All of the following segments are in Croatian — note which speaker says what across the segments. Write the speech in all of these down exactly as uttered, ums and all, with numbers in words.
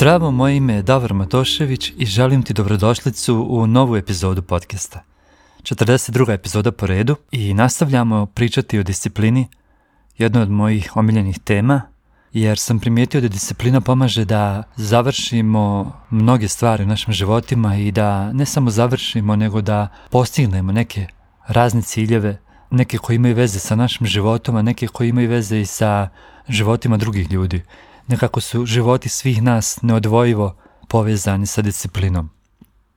Speaker 1: Zdravo, moje ime je Davor Matošević i želim ti dobrodošlicu u novu epizodu podcasta. četrdeset druga epizoda po redu i nastavljamo pričati o disciplini, jednoj od mojih omiljenih tema, jer sam primijetio da disciplina pomaže da završimo mnoge stvari u našim životima i da ne samo završimo, nego da postignemo neke razne ciljeve, neke koji imaju veze sa našim životom, a neke koji imaju veze i sa životima drugih ljudi. Nekako su životi svih nas neodvojivo povezani sa disciplinom.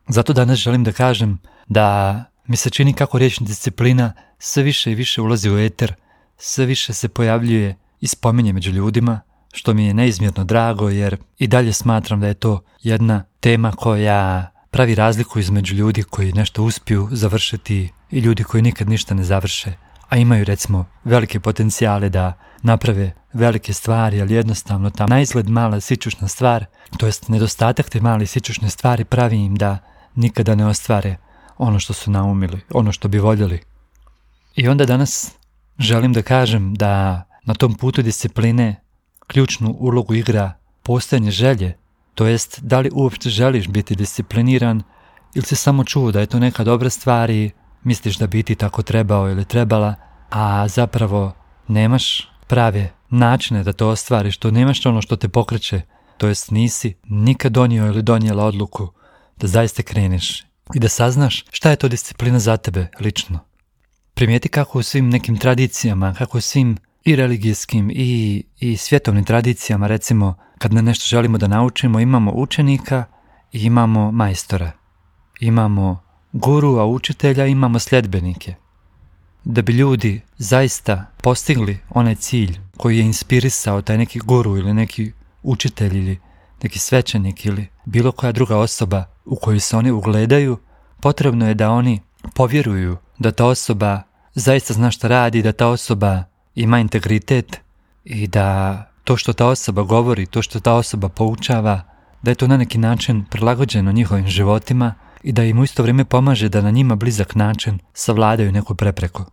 Speaker 1: Zato danas želim da kažem da mi se čini kako riječ disciplina sve više i više ulazi u eter, sve više se pojavljuje i spominje među ljudima, što mi je neizmjerno drago jer i dalje smatram da je to jedna tema koja pravi razliku između ljudi koji nešto uspiju završiti i ljudi koji nikad ništa ne završe, a imaju recimo velike potencijale da naprave velike stvari, ali jednostavno ta naizgled mala sićušna stvar, to jest nedostatak te male sićušne stvari pravi im da nikada ne ostvare ono što su naumili, ono što bi voljeli. I onda danas želim da kažem da na tom putu discipline ključnu ulogu igra postojanje želje, to jest da li uopće želiš biti discipliniran ili si samo čuo da je to neka dobra stvar i misliš da bi ti tako trebao ili trebala, a zapravo nemaš prave načine da to ostvariš, to nemaš ono što te pokreće, to jest nisi nikad donio ili donijela odluku da zaista kreneš i da saznaš šta je to disciplina za tebe lično. Primijeti kako u svim nekim tradicijama, kako u svim i religijskim i, i svjetovnim tradicijama, recimo kad na nešto želimo da naučimo, imamo učenika i imamo majstora. Imamo guru, a učitelja imamo sljedbenike. Da bi ljudi zaista postigli onaj cilj koji je inspirisao taj neki guru ili neki učitelj ili neki svećenik ili bilo koja druga osoba u koju se oni ugledaju, potrebno je da oni povjeruju da ta osoba zaista zna šta radi, da ta osoba ima integritet i da to što ta osoba govori, to što ta osoba poučava, da je to na neki način prilagođeno njihovim životima i da im u isto vrijeme pomaže da na njima blizak način savladaju neku prepreku.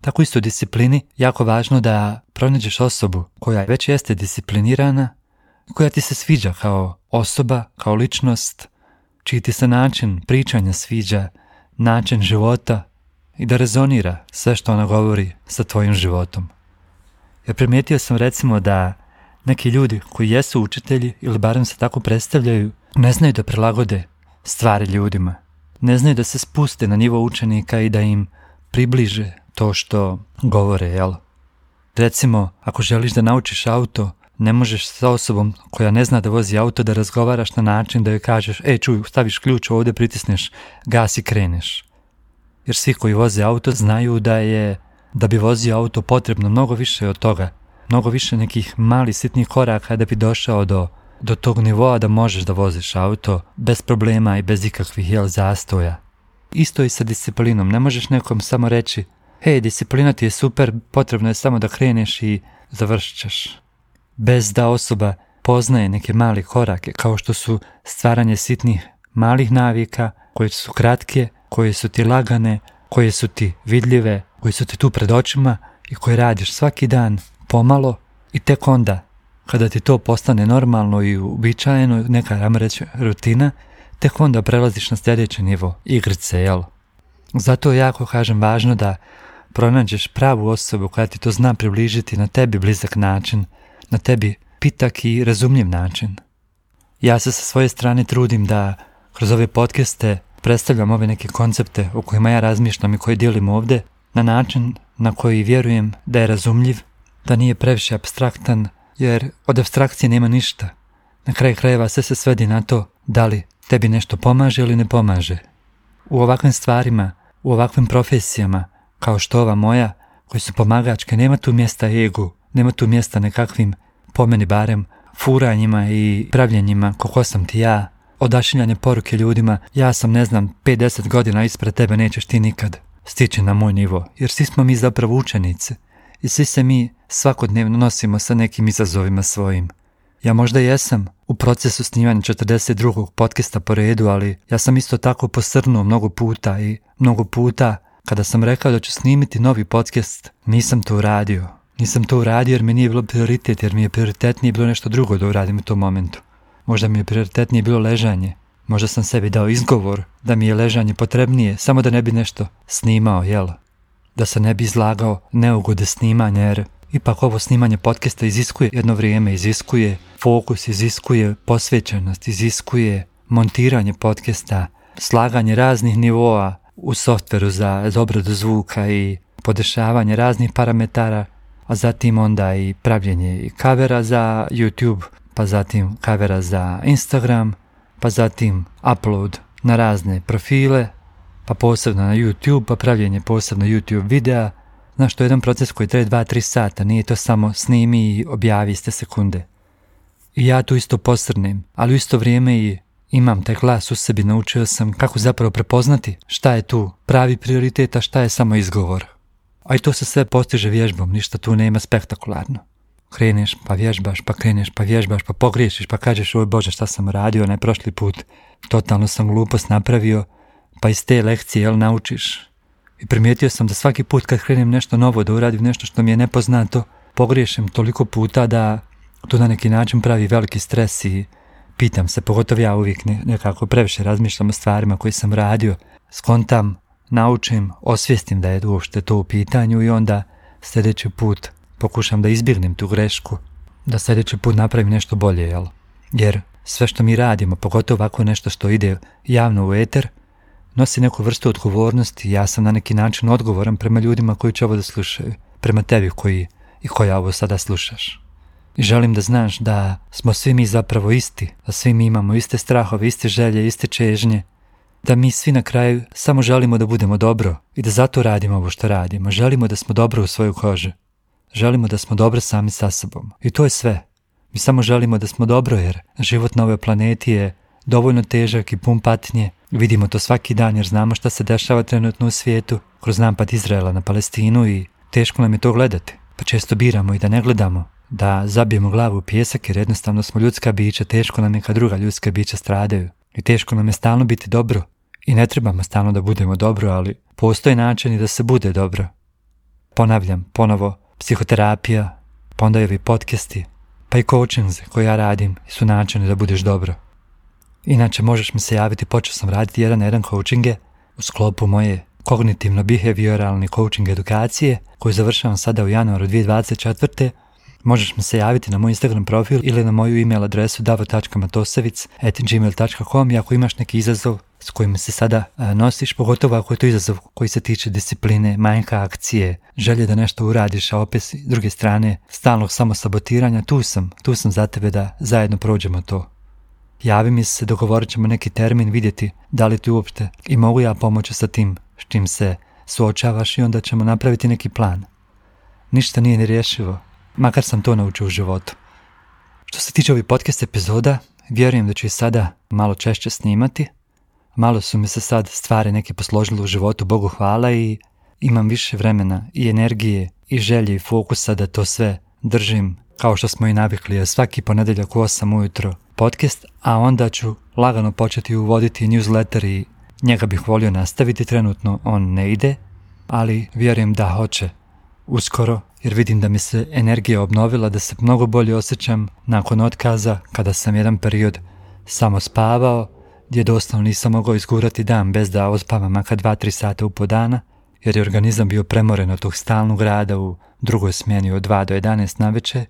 Speaker 1: Tako isto u disciplini jako važno da pronađeš osobu koja već jeste disciplinirana, koja ti se sviđa kao osoba, kao ličnost, čiji ti se način pričanja sviđa, način života i da rezonira sve što ona govori sa tvojim životom. Jer primijetio sam recimo da neki ljudi koji jesu učitelji ili barem se tako predstavljaju, ne znaju da prilagode stvari ljudima. Ne znaju da se spuste na nivo učenika i da im približe to što govore, jel? Recimo, ako želiš da naučiš auto, ne možeš sa osobom koja ne zna da vozi auto da razgovaraš na način da joj kažeš ej čuj, staviš ključ ovdje, pritisneš gas i kreneš. Jer svi koji voze auto znaju da je, da bi vozio auto potrebno mnogo više od toga, mnogo više nekih malih sitnih koraka da bi došao do, do tog nivoa da možeš da voziš auto bez problema i bez ikakvih jel, zastoja. Isto i sa disciplinom, ne možeš nekom samo reći hej, disciplina ti je super, potrebno je samo da kreneš i završit ćeš. Bez da osoba poznaje neke male korake, kao što su stvaranje sitnih malih navika, koje su kratke, koje su ti lagane, koje su ti vidljive, koje su ti tu pred očima i koje radiš svaki dan pomalo i tek onda, kada ti to postane normalno i uobičajeno, neka ajmo reći rutina, tek onda prelaziš na sljedeći nivo igrice, jel? Zato je jako, kažem, važno da pronađeš pravu osobu koja ti to zna približiti na tebi blizak način, na tebi pitak i razumljiv način. Ja se sa svoje strane trudim da kroz ove podcaste predstavljam ove neke koncepte o kojima ja razmišljam i koje dijelim ovdje na način na koji vjerujem da je razumljiv, da nije previše apstraktan, jer od apstrakcije nema ništa. Na kraju krajeva sve se svedi na to da li tebi nešto pomaže ili ne pomaže. U ovakvim stvarima, u ovakvim profesijama, kao što ova moja, koji su pomagačke, nema tu mjesta egu, nema tu mjesta nekakvim, po meni barem, furanjima i pravljenjima kako sam ti ja, odašiljanje poruke ljudima, ja sam ne znam pedeset godina ispred tebe, nećeš ti nikad stići na moj nivo, jer svi smo mi zapravo učenici i svi se mi svakodnevno nosimo sa nekim izazovima svojim. Ja možda jesam u procesu snimanja četrdeset drugog podcasta po redu, ali ja sam isto tako posrnuo mnogo puta i mnogo puta kada sam rekao da ću snimiti novi podcast, nisam to uradio. Nisam to uradio jer mi nije bilo prioritet, jer mi je prioritetnije bilo nešto drugo da uradim u tom momentu. možda mi je prioritetnije bilo ležanje. Možda sam sebi dao izgovor da mi je ležanje potrebnije, samo da ne bi nešto snimao, jel? Da se ne bi izlagao neugode snimanja, jer ipak ovo snimanje podcasta iziskuje jedno vrijeme, iziskuje fokus, iziskuje posvećenost, iziskuje montiranje podcasta, slaganje raznih nivoa u softveru za obradu zvuka i podešavanje raznih parametara, a zatim onda i pravljenje i kavera za YouTube, pa zatim kavera za Instagram, pa zatim upload na razne profile, pa posebno na YouTube, pa pravljenje posebno YouTube videa. Znaš, to je jedan proces koji traje dva do tri sata, nije to samo snimi i objavi iste sekunde. I ja tu isto posrnem, ali u isto vrijeme i imam taj glas u sebi, naučio sam kako zapravo prepoznati šta je tu pravi prioritet, a šta je samo izgovor. A i to se sve postiže vježbom, ništa tu nema spektakularno. Kreneš pa vježbaš, pa kreneš pa vježbaš, pa pogriješiš, pa kažeš oj Bože šta sam radio onaj prošli put, totalno sam glupost napravio, pa iz te lekcije jel naučiš. I primijetio sam da svaki put kad krenem nešto novo, da uradim nešto što mi je nepoznato, pogriješim toliko puta da to na neki način pravi veliki stres i pitam se, pogotovo ja uvijek nekako previše razmišljam o stvarima koje sam radio, skontam, naučim, osvijestim da je uopšte to u pitanju i onda sljedeći put pokušam da izbjegnem tu grešku, da sljedeći put napravim nešto bolje, jel? Jer sve što mi radimo, pogotovo ovako nešto što ide javno u eter, nosi neku vrstu odgovornosti. Ja sam na neki način odgovoran prema ljudima koji će ovo da slušaju, prema tebi koji i koja ovo sada slušaš. I želim da znaš da smo svi mi zapravo isti, da svi mi imamo iste strahove, iste želje, iste čežnje, da mi svi na kraju samo želimo da budemo dobro i da zato radimo ovo što radimo. Želimo da smo dobro u svojoj koži. Želimo da smo dobro sami sa sobom. I to je sve. Mi samo želimo da smo dobro jer život na ovoj planeti je dovoljno težak i pun patnje. Vidimo to svaki dan jer znamo šta se dešava trenutno u svijetu kroz napad Izraela na Palestinu i teško nam je to gledati. Pa često biramo i da ne gledamo, da zabijemo glavu u pijesak jer jednostavno smo ljudska bića, teško nam je kad druga ljudska bića stradaju. I teško nam je stalno biti dobro. I ne trebamo stalno da budemo dobro, ali postoje načini da se bude dobro. Ponavljam, ponovo, psihoterapija, pa onda i ovi podcasti, pa i coachings koje ja radim su načini da budeš dobro. Inače, možeš mi se javiti, počeo sam raditi jedan na jedan coachinge u sklopu moje kognitivno-behavioralne coaching edukacije koju završavam sada u januaru dvije tisuće dvadeset četvrte. Možeš mi se javiti na moj Instagram profil ili na moju email adresu davo tačka matosevic at gmail tačka com i ako imaš neki izazov s kojim se sada a, nosiš, pogotovo ako je to izazov koji se tiče discipline, manjka akcije, želje da nešto uradiš, a opet s druge strane stalnog samosabotiranja, tu sam, tu sam za tebe da zajedno prođemo to. Javi mi se, dogovorit ćemo neki termin, vidjeti da li ti uopšte i mogu ja pomoći sa tim s čim se suočavaš i onda ćemo napraviti neki plan. Ništa nije nerješivo, makar sam to naučio u životu. Što se tiče ovih podcast epizoda, vjerujem da ću i sada malo češće snimati. Malo su mi se sad stvari neke posložile u životu, Bogu hvala, i imam više vremena i energije i želje i fokusa da to sve držim kao što smo i navikli, svaki ponedjeljak u osam ujutro podcast, a onda ću lagano početi uvoditi newsletter i njega bih volio nastaviti, trenutno on ne ide, ali vjerujem da hoće uskoro, jer vidim da mi se energija obnovila, da se mnogo bolje osjećam nakon otkaza kada sam jedan period samo spavao, gdje doslovno nisam mogao izgurati dan bez da ospavam makar dva do tri sata u po dana, jer je organizam bio premoren od tog stalnog rada u drugoj smjeni od dva do jedanaest navečer.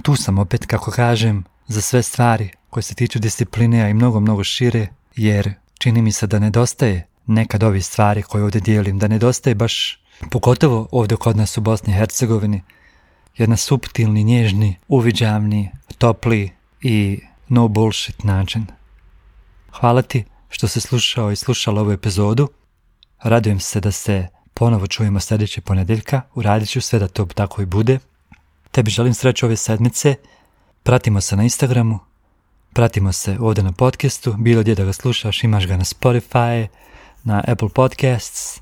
Speaker 1: Tu sam opet, kako kažem, za sve stvari koje se tiču discipline, a i mnogo, mnogo šire, jer čini mi se da nedostaje nekad ovih stvari koje ovdje dijelim, da nedostaje baš, pogotovo ovdje kod nas u Bosni i Hercegovini, jedan suptilni, nježni, uviđavni, topli i no bullshit način. Hvala ti što si slušao i slušala ovu epizodu. Radujem se da se ponovo čujemo sljedeće ponedjeljka. Uradit ću sve da to tako i bude. Tebi želim sreću ove sedmice. Pratimo se na Instagramu. Pratimo se ovdje na podcastu. Bilo gdje da ga slušaš, imaš ga na Spotify, na Apple Podcasts,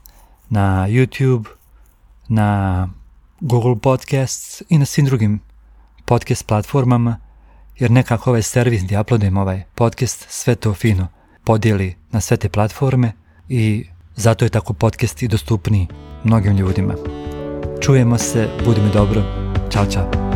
Speaker 1: na YouTube, na Google Podcasts i na svim drugim podcast platformama. Jer nekako ovaj servis gdje uploadujem ovaj podcast sve to fino podijeli na sve te platforme i zato je tako podcast i dostupniji mnogim ljudima. Čujemo se, budi mi dobro, čao čao.